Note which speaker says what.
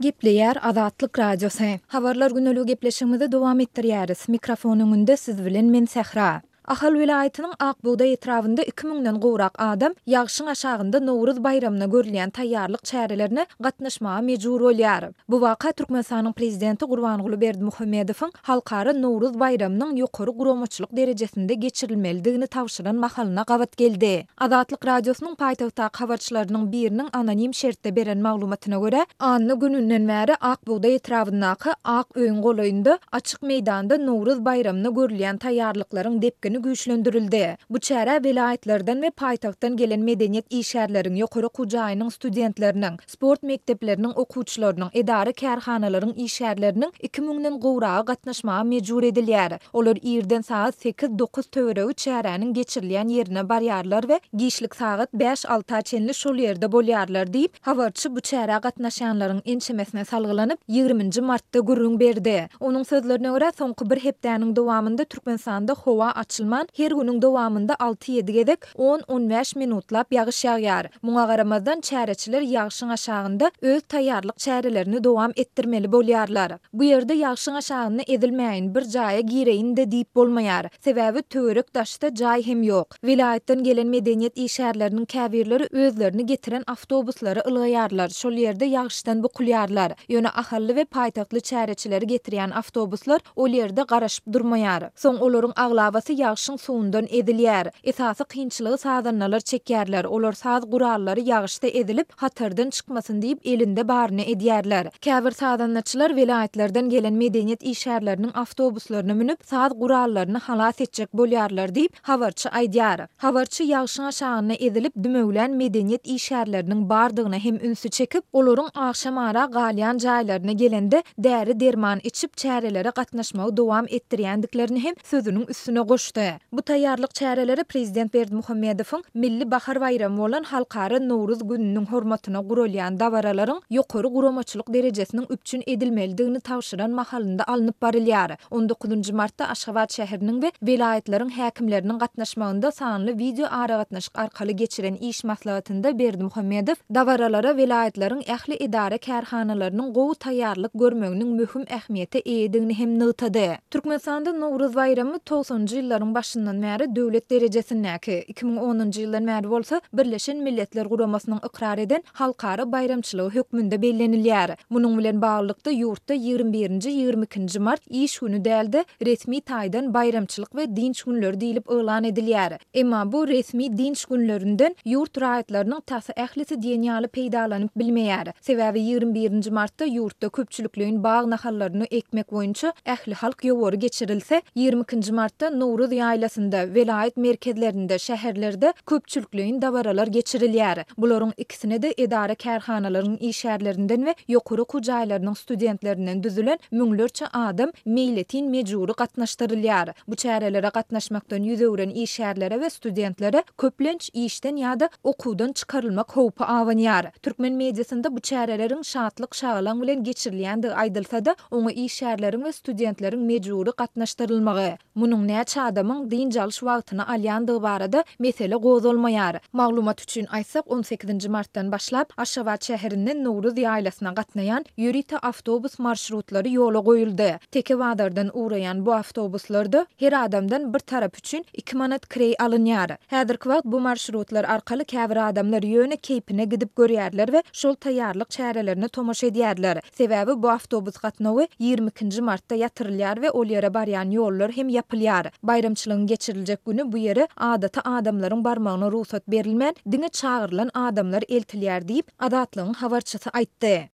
Speaker 1: Gepleýär Azatlyk Radiosy. Habarlar güneligi gepleşigimizi dowam etdirýäris. Mikrofon öňünde siz bilen men Sähra. Ahal welaýatynyň Ak bugdaý etrabynda iki müňden gowrak adam ýagşyň aşagynda Nowruz baýramyna görülýän taýýarlyk çärelerine gatnaşmaga mejbur bolýar. Bu waka Türkmenistanyň Prezidenti Gurbanguly Berdimuhamedowyň Halkara Nowruz baýramynyň ýokary guramaçylyk derejesinde geçirilmelidigini tabşyran mahalyna gabat geldi. Azatlyk Radiosynyň paýtagtdaky habarçylarynyň biriniň anonim şertde beren maglumatyna görä, anna gününden bäri Ak bugdaý etrabyndaky Ak öýüň golaýynda açyk meýdanda Nowruz baýramyna görülýän taýýarlyklaryň depgini güýçlendirildi. Bu çärä welaýatlardan we paýtagtdan gelen medeniýet işgärleriň, ýokary okuw jaýynyň studentleriniň, sport mekdepleriniň okuwçylarynyň, edara-kärhanalaryň işgärleriniň iki müňden gowragy gatnaşmaga mejbur edilýär. Olar irden sagat sekiz-dokuz töweregi çäräniň geçirilýän ýerine barýarlar we giçlik sagat bäş-alta çenli şol ýerde bolýarlar diýip, habarçy bu çärä gatnaşýanlaryň ençemesine salgylanyp, ýigriminji martda gürrüň berdi. Onuň sözlerine görä, soňky bir hepdäniň dowamynda Türkmenistanda howa açylman, her günüň dowamynda alty-ýedi gezek On-on bäş minutlap ýagyş ýagýar. Muňa garamazdan, çäreçiler ýagşyň aşagynda öz taýýarlyk çärelerini dowam etdirmeli bolýarlar. Bu ýerde ýagşyň aşagynda ezilmäýin, bir jaýa gireýin-de diýip bolmaýar. Sebäbi töwerek-daşda jaý hem ýok. Welaýatdan gelen medeniýet işgärleriniň käbirleri özlerini getiren awtobuslara ylgaýarlar, şol ýerde ýagyşdan bukulýarlar. Ýöne ahally we paýtagtly çäreçileri getirýän awtobuslar ol ýerde garaşyp durmaýar. Soň olaryň aglabasy ýagşyň suwundan ezilýär. Esasy kynçylygy sazandalar çekýärler, olar saz gurallary ýagyşda ezilip, hatardan çykmasyn diýip elinde baryny edýärler. Käbir sazandaçylar welaýatlardan gelen medeniýet işgärleriniň awtobuslaryna münüp, saz gurallaryny halas etjek bolýarlar diýip, habarçy aýdýar. Habarçy ýagşyň aşagynda ezilip, dümewlän medeniýet işgärleriniň bardygyna hem ünsi çekip, olaryň agşamara galýan jaýlaryna gelende däri-derman içip, çärelere gatnaşmagy dowam etdirýändiklerini hem sözüniň üstüne goşdy. Bu taýýarlyk çäreleri prezident Berdimuhamedowyň Milli bahar baýramy bolan Halkara Nowruz gününiň hormatyna guralýan dabaralaryň ýokary guramaçylyk derejesiniň üpjün edilmelidigini tabşyran mahalynda alnyp barylýar. On dokuzynjy martda Aşgabat şäheriniň we welaýatlaryň häkimleriniň gatnaşmagynda sanly wideoaragatnaşyk arkaly geçiren iş maslahatynda Berdimuhamedow dabaralara welaýatlaryň ähli edara-kärhanalarynyň gowy taýýarlyk görmeginiň möhüm ähmiýete eýedigini hem nygtady. Türkmenistanda Nowruz baýramy togsanynjy ýyllaryň başyndan bäri döwlet derejesindäki, 2010-njy ýyldan bäri bolsa Birleşen Milletler Guramasynyň ykrar eden halkara baýramçylygy hökmünde bellenilýär. Munuň bilen baglylykda, ýurtda ýigrimi birinji, ýigrimi ikinji mart iş güni däl-de, resmi taýdan baýramçylyk we dynç günleri diýlip yglan edilýär. Emma bu resmi dynç günlerinden ýurt raýatlarynyň tas ählisi diýen ýaly peýdalanyp bilmeýär. Sebäbi ýigrimi birinji martda ýurtda köpçülikleýin bag nahallaryny ekmek boýunça ählihalk ýowary geçirilse, ýigrimi ikinji martda Nowruz ýaýlasynda, welaýat merkezlerinde, şäherlerde köpçülikleýin dabaralar geçirilýär. Bularyň ikisine-de edara-kärhanalaryň işgärlerinden we ýokary okuw jaýlarynyň studentlerinden düzülen müňlerçe adam meýletin mejbury gatnaşdyrylýar. Bu çärelere gatnaşmakdan ýüz öwren işgärlere we studentlere köplenç işden ýa-da okuwdan çykarylmak howpy abanýar. Türkmen mediasynda bu çäreleriň şatlyk-şagalaň bilen geçirilýändigi aýdylsa-da, oňa işgärleriň we studentleriň mejbury gatnaşdyrylmagy, Munuň näçe adamyň dynç alyş wagtyny alýandygy barada mesele gozgalmaýar. Maglumat üçin aýtsak, on sekizinji martdan başlap, Aşgabat şäherinden Nowruz ýaýlasyna gatnaýan ýörite awtobus marşrutlary ýola goýuldy. Teke bazardan ugraýan bu awtobuslarda her adamdan bir tarap üçin iki manat kireý alynýar. Häzirki wagt bu marşrutlar arkaly käbir adamlar ýöne keýpine gidip görýärler we şol taýýarlyk çärelerine tomaşa edýärler. Sebäbi bu awtobus gatnawy ýigrimi ikinji martda ýatyrylýar we ol ýere barýan ýollar hem ýapylýar. Baýramçylygyň geçiriljek güni bu ýere adaty adamlaryň barmagyna rugsat berilmän, diňe çagyrylan adamlar eltilýär diýip, Azatlygyň habarçysy aýtdy.